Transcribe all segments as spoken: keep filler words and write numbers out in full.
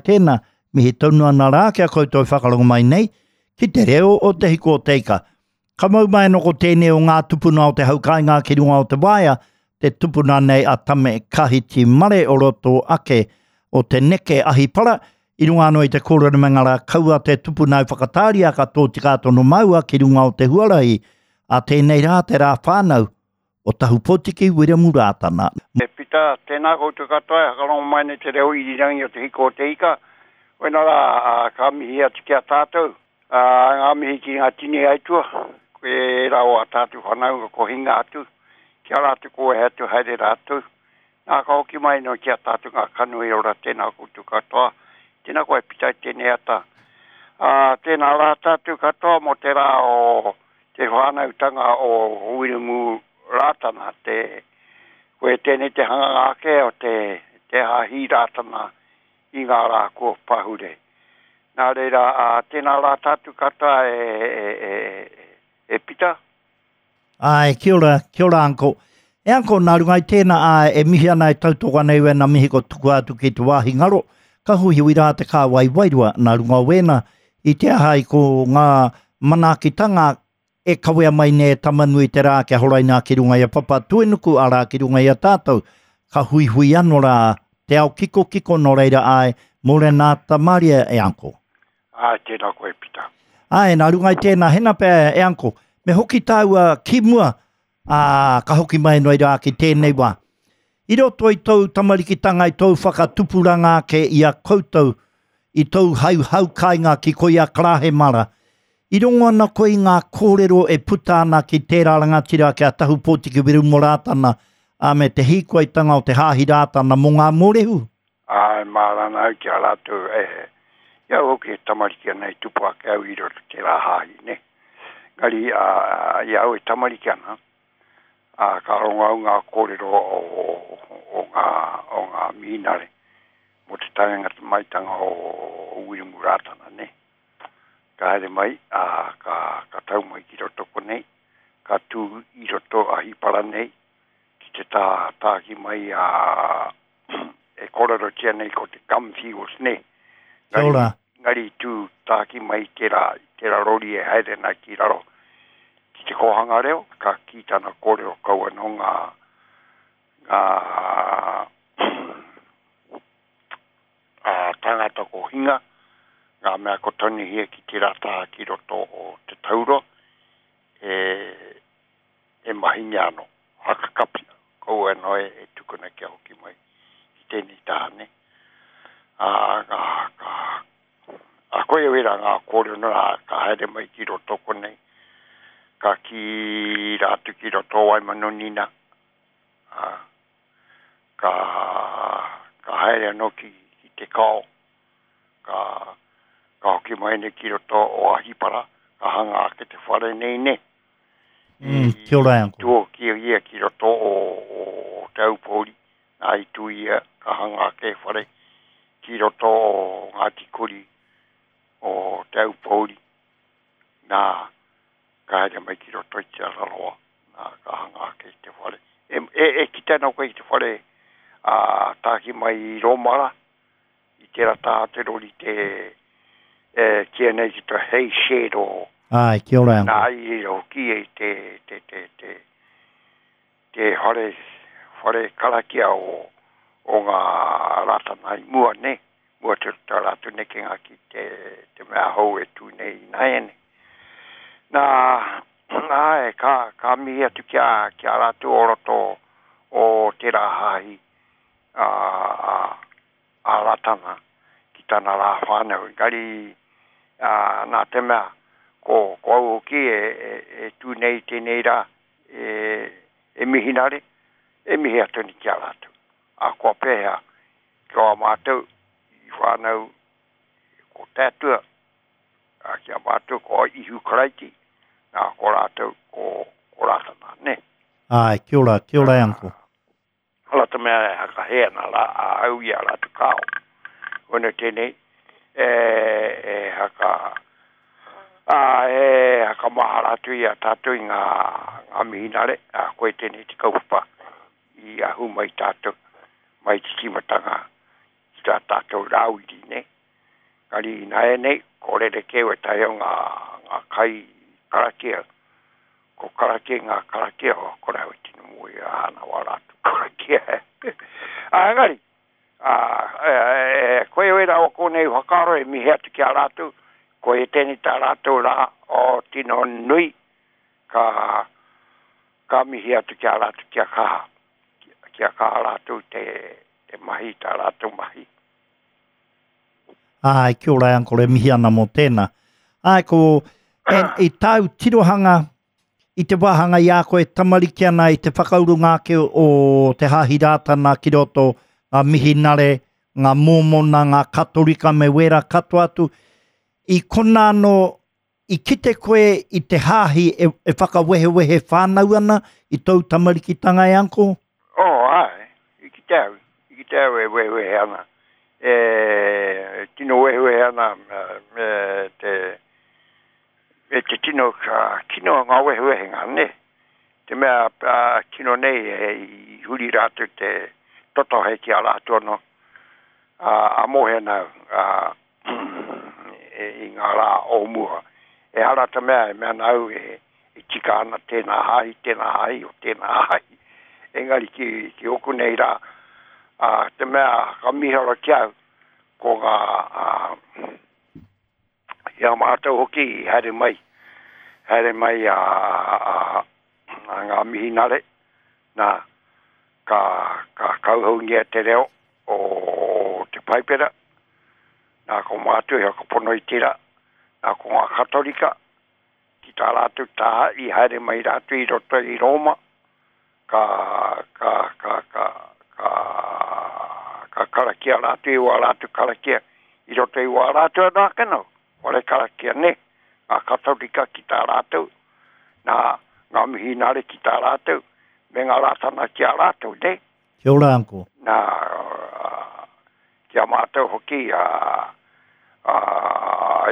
tēnā, mihi tonu ana rā kia koutou whakarongo mai nei, ki te reo o te hiko o te ika. Ka mau mai anō ko tēnei o ngā tupuna o te haukainga ki runga o te waea, te tupuna nei a Tame Kahiti Mare o roto ake o te neke ahipara, i runga anō i te kōrero me ngā rā kaua te tupuna i whakatāria ka tōtika tono maua ki runga o te huarahi a tēnei rā te rā whānau o Tahupotiki Wiremu Rātana. E Pita, tēnā koutou katoa e whakarongo mai nei te reo irirangi o te hiko o te ika. Koina rā, ka mihi atu ki a tātou, ngā mihi ki ngā tini aitua, koe rā o a tātou whanaunga ko hinga atu, ki a rātou ko e atu haere rātou. Nā ka hoki mai no ki a tātou ngā kanohi ora, tēnā koutou katoa. Tēnā koe Pita i tēnei ata. Uh, tēnā rā tātou katoa mō te rā o te whānautanga o Wiremu Rātana, te, koe tēnei te hanganga ake o te, te hāhi Rātana i ngā rā kua pahure. Nā reira, uh, tēnā rā tātou katoa e, e, e, e Pita. Ai, kia ora, kia ora anko. E anko, nā runga i tēnā, ā, e mihi ana e tautoko ana i wēnā mihi ko tukua atu ki te wāhi ngaro, ka huihui rā te kāwai wairua, nā runga o wēnā, i te aha i ko ngā manaakitanga e kawea mai nei e Tamanui te rā kia horaina ki runga i a Papatūānuku, arā ki runga i a tātou, ka huihui anō rā te ao kikokiko nō reira ai, mōrena Tamaria e anko. Ai, tēnā koe Pita. Ai, nā runga i tēnā, hena pea e anko, me hoki tāua ki mua, ā, ka hoki mai noi rā ki tēnei wā. I roto i tōu tamarikitanga, i tōu whakatupuranga ake i a koutou, i tōu hau haukainga ki koia Karahemara, i rongo ana koe i ngā kōrero e puta ana ki tērā rangatira ki a Tahupotiki Wiremu Rātana, ā, me te hīkoitanga o te Hāhi Rātana mō ngā mōrehu? Ai, mārana au ki a rātou, e, i au hoki e tamariki ana i tupu ake au i roto tērā hāhi, ne? Ngari, ā, i au e tamariki ana, ā, ka rongo au ngā kōrero o, o, o ngā, o ngā mihinare mō te taenga maitanga o, o Wiremu Rātana, ne? Ka haere mai, ā, ka, ka tau mai ki roto konei, ka tū i roto ahipara nei, ki te tā, tāki mai a, e kōrerotia nei ko te Gumfields, ne? Kia ora. Ngari tū tāki mai tērā, tērā rori e haere ana ki raro, ki te kōhanga reo, ka kī tana kōrero kau anō ngā, ngā ā, tāngata ko hinga, ngā mea ko tanihia ki tērā taha ki roto o te tauro, e, e mahingia anō, hakakapia, kau anō e, e tukuna kia hoki mai ki tēnei taha, ne? Ā, ka, ka, a koe wera ngā kōrero nā, ka haere mai ki roto konei, ka ki rātou ki roto o Waimanonina, ā, ka, ka haere anō ki, ki te kao, ka, ka hoki mai nei ki roto o Ahipara, ka hanga ake te whare nei ne. Mm, kia ora e anko. Tū ki ia ki roto o, o Te Aupōuri, nā i tū ia, ka hanga ake whare ki roto o Ngāti Kuri o Te Aupōuri, nā, ka haere mai ki roto i Te Araroa, nā, ka hanga ake te whare. E, e, e kite ana koe i te whare a tāki mai i Rōmara, i tērā taha te rori te e, kia nei ki te hei shed o Ai, kia ora e anko. Nā, i reira hoki e te, te, te, te, te whare, whare karakia o, o ngā Rātana i mua, ne? Mua te tā rātou nekenga ki te, te mea hou e tū nei i nāiane. Nā, āe, ka, ka mihi atu ki a, ki a rātou o roto o tērā hāhi a, a, a Rātana ki tana rā whānau. Engari, ā, nā te mea, ko, ko au hoki e, e, e tū nei tēnei rā, e, e mihinare, e mihi atu ni ki a rātou. A kua pēhea, ki a mātou, i whānau ko te Atua, a ki a mātou ko Ihu Karaiti, nā ko rātou ko, ko Rātana, ne? Ai, kia ora, kia ora e anko. Hala te mea e hakahea nā rā, a au i a rātou kāo. Koina tēnei, e, e haka, a, e hakamahara atu i a tātou i ngā, ngā mihinare, a koe tēnei te kaupapa i ahu mai tātou, mai te tīmatanga ki tā tātou rāwiri, ne? Kari nāianei, ko rerekē wētahi o ngā, ngā kai karakia. Ko karakia ngā karakia, o kore au e tino mōhio ana wā rātou karakia. Ā, engari, ā, e, e, koe wera o kōnei whakaaro e mihi atu ki a rātou, ko e tēnei tā rātou rā o tino nui, ka, ka mihi atu ki a rātou kia kaha, kia kaha rātou te, te mahi, tā rātou mahi. Ai, kia ora, Uncle, e mihi ana mō tēnā. Ai, ko, en, i tāu tirohanga, i te wāhanga i a koe tamariki ana i te whakaurunga ake o te Hāhi Rātana ki roto, ngā mihinare, ngā mōmona, ngā katorika me wērā katoa atu, i kona anō, i kite koe i te hāhi e, e whakawehewehe whānau ana i tōu tamarikitanga e, Uncle? Oh, ai, i kite au, i kite au e wehewehe ana. E tino wehewehe ana me te, me te tino ka, kino ngā wehewehenga, ne? Te mea uh, kino nei e i huri rātou te totohe ki a rātou anō. Uh, a mohe nau uh, e, i ngā rā o mua. E hara te mea e mea nau e, e tika ana tēnā hāhi, tēnā hāhi o tēnā hāhi. Engari ki, ki oku nei rā, uh, te mea ka miharo ki au, ko ngā uh, i a mātou hoki i haere mai, haere mai a, a, a ngā mihinare, nā, ka, ka kauhaungia te reo o te Paipera, nā ko mātou i whakapono i tērā, nā ko ngā Katorika, ki tā rātou taha i haere mai rātou i roto i Roma, ka, ka, ka, ka, ka, ka karakia rātou i wā rātou karakia, i roto i wā rātou anō ake nau, whare karakia ne, ngā Katorika ki tā rātou, nā ngā mihinare ki tā rātou, me ngā Rātana ki a rātou, ne? Kia ora, Uncle. Nā, uh, ki a mātou hoki, a, a,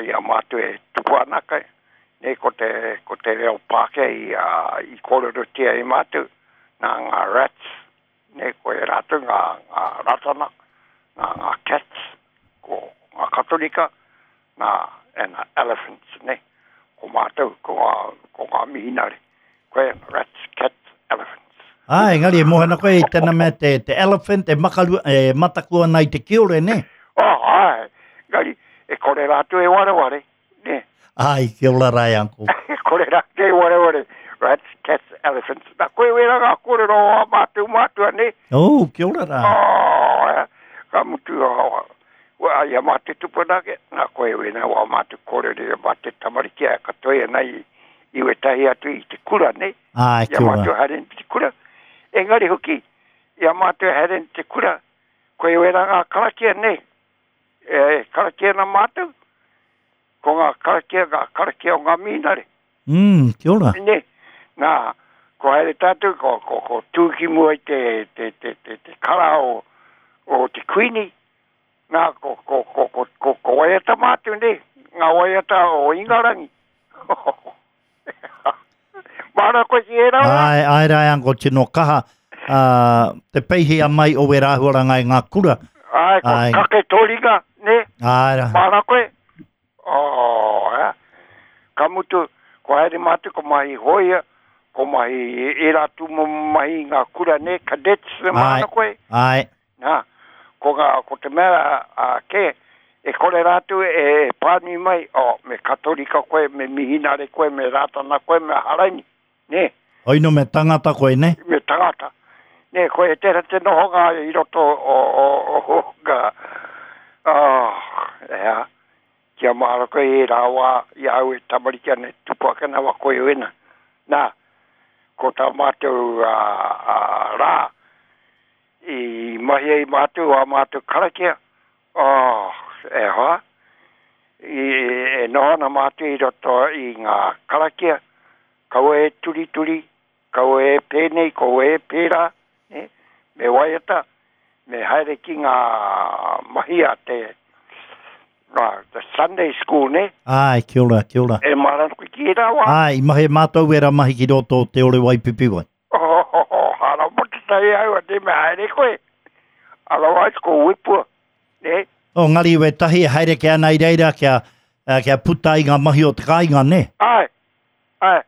i a mātou e tupu ana kai, ne, ko te, ko te reo Pākehā i, a, i kōrerotia i mātou, nā ngā rats, ne, ko e rātou ngā, ngā Rātana, nā ngā cats, ko ngā Katorika, nā, e ngā elephants, ne, ko mātou, ko ngā, ko ngā mihinare, koe rats, cats, elephants. Ah, engari e mohe ana koe i tēnā mea te, te elephant e, makaru, e mataku ana i te kiore, ne? Oh, ai, engari, e kore rātou e wareware, ne? Ai, kia ora rā, Uncle. E kore rātou e wareware, rats, cats, elephants. Nā, koe wera ngā kōrero o a mātou mātua, ne? Oh, kia ora rā. Oh, eh, ka mutu, oh, wa, i a mātou tupuna ake, nā koe wena wā mātou kōrero i a mātou tamariki a katoa e nei i wetahi atu i te kura, ne? Ai, I a kia ora. mātou haere i te kura. Engari hoki, i a mātou haere i te kura, koe wera ngā karakia, ne? E, karakia na mātou, ko ngā karakia, ngā karakia o ngā mihinare. Mm, kia ora. Ne, nā, ko haere tātou, ko, ko, ko tū ki mua i te, te, te, te, te kara o, o te kuini, nā, ko, ko, ko, ko, ko, ko waiata mātou, ne, ngā waiata o Ingarangi. Māra koe ki e rā? Ai, ai rā, Uncle, tino kaha, uh, te peihi a mai o wera āhuaranga i ngā kura. Ai, ko Ai. kake tōringa, ne? Ai rā. Māra koe? Oh, eh. Ka mutu, ko haere mātou, ko mahi hoia, ko mahi e rā tūmomo mahi ngā kura, ne? Cadets, Ai. māra koe? Ai, Nā, ko, ngā, ko te mea a, ke, e kore rātou e pānui mai, oh, me Katorika koe, me mihinare koe, me Rātana koe, me Haraini, ne? oino me tangata koe, ne? Me tangata. Ne, koe e tera te nohonga i roto o, o, o, o, ngā, oh, ea, kia māra koe e rā wā i au e tamariki ane tupu ake nā wā koe wena. Nā, ko tā mātou a, a, rā, i mahi ai mātou a mātou karakia, oh, e hoa, i, e noho ana mātou i roto i ngā karakia, kaua e turituri, kaua e pēnei, kaua e pērā, ne? Me waiata, me haere ki ngā mahi a te, ngā, the Sunday school, ne? Ai, kia ora, kia ora. E māra koe ki e rā wā. Ai, i mahi mātou wera mahi ki roto o te ore waipipiwai. Oh, oh, oh, hara motu tai au, a te me haere koe. Otherwise, ko wipua, ne? O ngari we tahi e haere ke ana i reira kia, uh, kia puta i ngā mahi o te kāinga, ne? Ai, ai.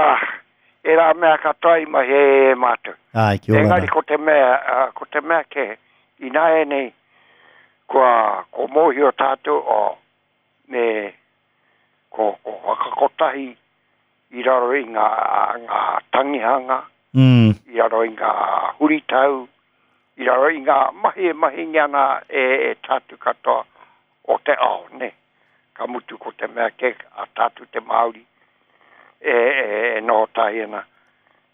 ah, e rā mea katoa i mahi e e mātou. Ai, kia ora Engari ko te mea, uh, ko te mea ke, ināianei, kua, ko mōhio tātou o, me, ko, ko whakakotahi i raro i ngā, ngā tangihanga, Mm. i raro i ngā huritau, i raro i ngā mahi e mahingi ana e, e tātou katoa o te ao, ne. Ka mutu ko te mea ke a tātou te Māori e, e, e noho tahi ana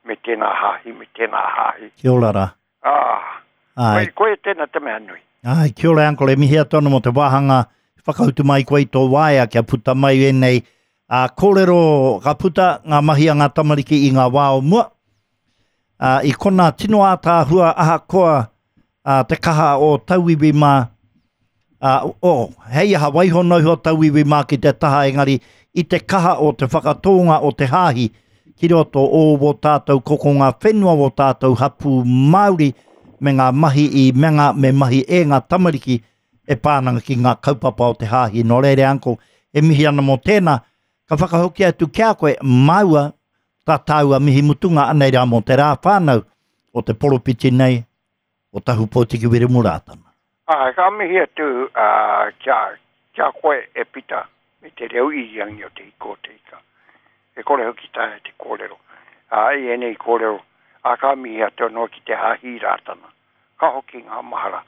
me tēnā hāhi, me tēnā hāhi. Kia ora rā. Ah, Ai, koe, koe tēnā te mea nui. Ai, kia ora, uncle, e mihi atu ana mō te wāhanga whakautu mai koe i tō waea kia puta mai ēnei a kōrero ka puta ngā mahi a ngā tamariki i ngā wā o mua. A, i kona tino ātaahua ahakoa a, te kaha o tauiwi mā, a, o, hei aha waiho noa iho tauiwi mā ki te taha engari i te kaha o te whakatōnga o te hāhi ki roto o wō tātou kokonga whenua wō tātou hapū Māori me ngā mahi i me ngā me mahi e ngā tamariki e pānanga ki ngā kaupapa o te hāhi. Nō reira, uncle, e mihi ana mō tēnā, ka whakahoki atu ki a koe, māua, tā tāua mihi mutunga anei rā mō te rā whānau o te poropiti nei o Tahu Pōtiki Wiremu Rātana. Ah, ka mihi atu uh, kia, kia koe e pita me te reo irirangi o te hiko o te ika. E kore hoki taea te kōrero. Ah, i ēnei kōrero, a ka mihi atu anō ki te hāhi Rātana. Ka hoki ngā mahara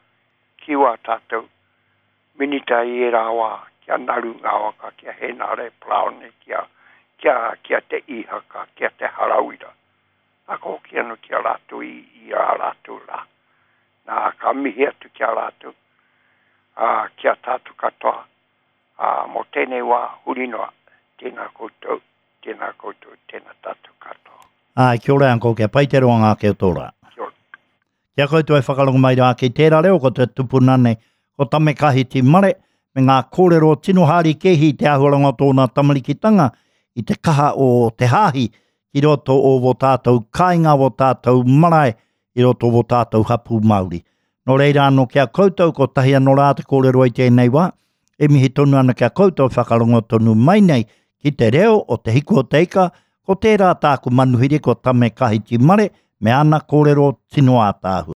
ki wā tātou minita i e rā wā, kia Naru Ngāwaka, kia Henare Paraone, kia, kia, kia te Ihaka, kia te Harawira. Nā ka hoki anō ki a rātou i, i a rātou rā. Nā, ka mihi atu ki a rātou, ā, ki a tātou katoa. Ā, mō tēnei wā, huri noa, tēnā koutou, tēnā koutou, tēnā tātou katoa. Ai, kia ora, uncle, kia pai te roanga ake o tō rā. Kia ora. Kia koutou e whakarongo mai rā ki tērā reo, ko te tupuna nei, ko Tame Kahiti Mare, me ngā kōrero tino hāri kehi te āhuaranga o tōna tamarikitanga i te kaha o te hāhi ki roto o wō tātou kāinga, wō tātou marae, i roto o wō tātou hapū Māori. Nō reira anō kia koutou, ko tahi anō rā te kōrero i tēnei wā, e mihi tonu ana kia koutou whakarongo tonu mai nei ki te reo o te hiko o te ika, ko tērā tāku manuhiri ko Tame Kahiti Mare, me ana kōrero tino ātaahua.